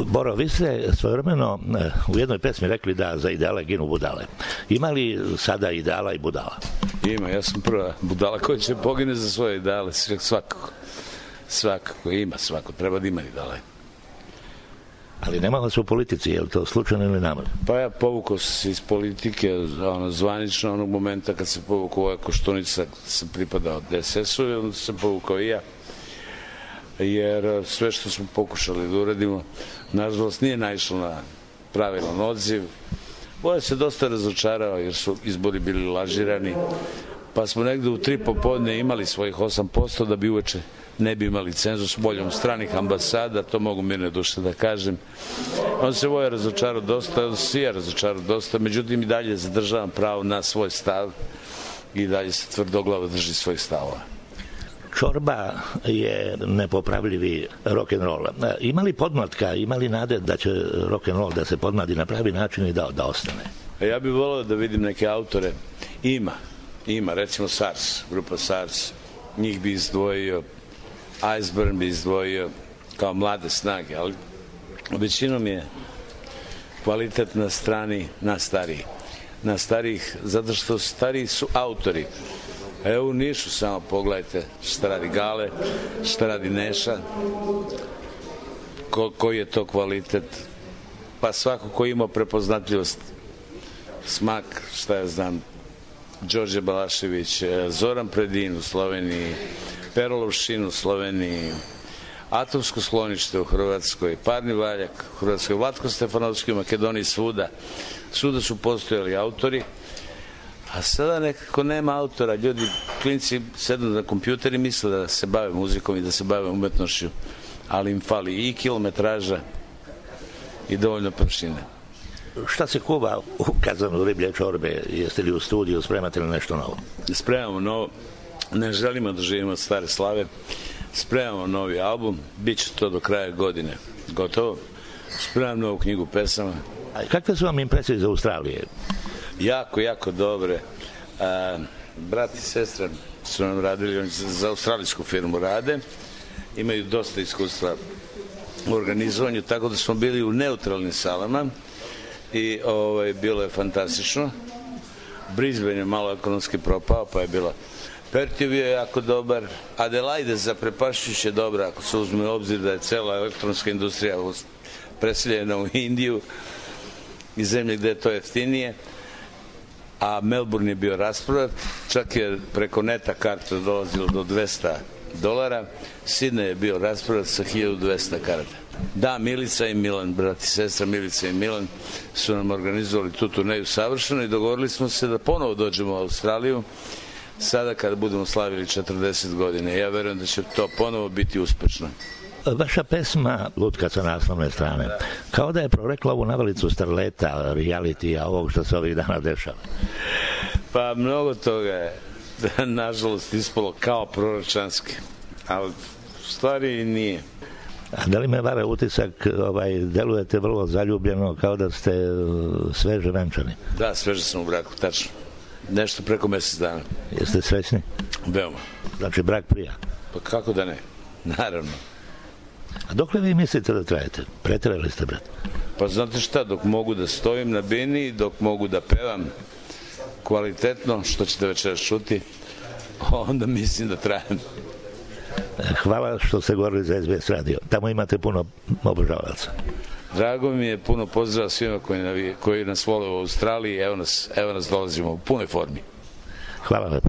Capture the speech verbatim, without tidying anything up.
Boro, vi ste svojevremeno u jednoj pesmi rekli da za ideale ginu budale. Ima li sada ideala i budala? Ima, ja sam prva budala koja će pogine za svoje ideale, svakako. Svakako, ima svako, treba da ima ideale. Ali nema vas u politici, je li to slučajno ili namerno? Pa ja povukao se iz politike ono, zvanično onog momenta kad se povukao ova Koštunica, sam pripadao D S S-u i onda sam povukao i ja. Jer sve što smo pokušali da uradimo, nažalost nije naišlo na pravilan odziv. Boja se dosta razočarao jer su izbori bili lažirani, pa smo negde u tri popodne imali svojih osam posto da bi uveče ne bi imali cenzus voljom stranih ambasada, to mogu mirne duše da kažem. On se Voja razočarao dosta, on se ja razočarao dosta, međutim i dalje zadržavam pravo na svoj stav i dalje se tvrdoglavo drži svojih stavova. Čorba je nepopravljivi rock'n'roll. Ima li podmlatka, ima li nade da će rock'n'roll da se podmladi na pravi način i da, da ostane? Ja bih voleo da vidim neke autore. Ima, ima, recimo SARS, grupa SARS, njih bi izdvojio, Iceburn bi izdvojio kao mlade snage, ali većinom je kvalitet na strani na stariji. Na starijih, zato što stariji su autori. Evo u Nišu samo pogledajte šta radi Gale, šta radi Neša, ko, koji je to kvalitet, pa svako ko ima prepoznatljivost, smak, šta ja znam, Đorđe Balašević, Zoran Predin u Sloveniji, Perolov Šin u Sloveniji, Atomsko sklonište u Hrvatskoj, Parni Valjak u Hrvatskoj, Vlatko Stefanovski u Makedoniji, svuda. Svuda su postojali autori, a sada nekako nema autora. Ljudi, klinci sednu na kompjuter i misle da se bave muzikom i da se bave umetnošću, ali im fali i kilometraža i dovoljno površine. Šta se kuva u kazanu riblje čorbe? Jeste li u studiju, spremate li nešto novo? Spremamo novo. Ne želimo da živimo od stare slave. Spremamo novi album. Biće to do kraja godine. Gotovo. Spremam novu knjigu pesama. A kakve su vam impresije iz Australije? Jako, jako dobre. A, brat i sestra su nam radili, oni za australijsku firmu rade. Imaju dosta iskustva u organizovanju, tako da smo bili u neutralnim salama i ovaj, bilo je fantastično. Brisbane je malo ekonomski propao, pa je bilo Perth je bio jako dobar. Adelaide zaprepašćujuće dobra, ako se uzme u obzir da je cela elektronska industrija preseljena u Indiju i zemlje gde je to jeftinije. A Melbourne je bio rasprodat, čak je preko neta karta dolazilo do dvesta dolara. Sidney je bio rasprodat sa hiljadu dvesta karata. Da, Milica i Milan, brat i sestra Milica i Milan su nam organizovali tu turneju savršeno i dogovorili smo se da ponovo dođemo u Australiju sada kada budemo slavili četrdeset godine. Ja verujem da će to ponovo biti uspešno. Vaša pesma Lutka sa naslovne strane, kao da je prorekla ovu navalicu starleta, realitija, ovog što se ovih dana dešava. Pa mnogo toga je, da, nažalost, ispalo kao proročanski, ali u stvari nije. A da li me vara utisak, ovaj, delujete vrlo zaljubljeno, kao da ste sveže venčani? Da, sveže sam u braku, tačno. Nešto preko mesec dana. Jeste srećni? Veoma. Znači brak prija? Pa kako da ne, naravno. A dokle vi mislite da trajete? Preterali ste, brat? Pa znate šta, dok mogu da stojim na bini, dok mogu da pevam kvalitetno, što ćete večeras čuti, onda mislim da trajem. Hvala što ste govorili za S B S radio. Tamo imate puno obožavalaca. Drago mi je, puno pozdrava svima koji, koji nas vole u Australiji. Evo nas, evo nas dolazimo u punoj formi. Hvala lepo.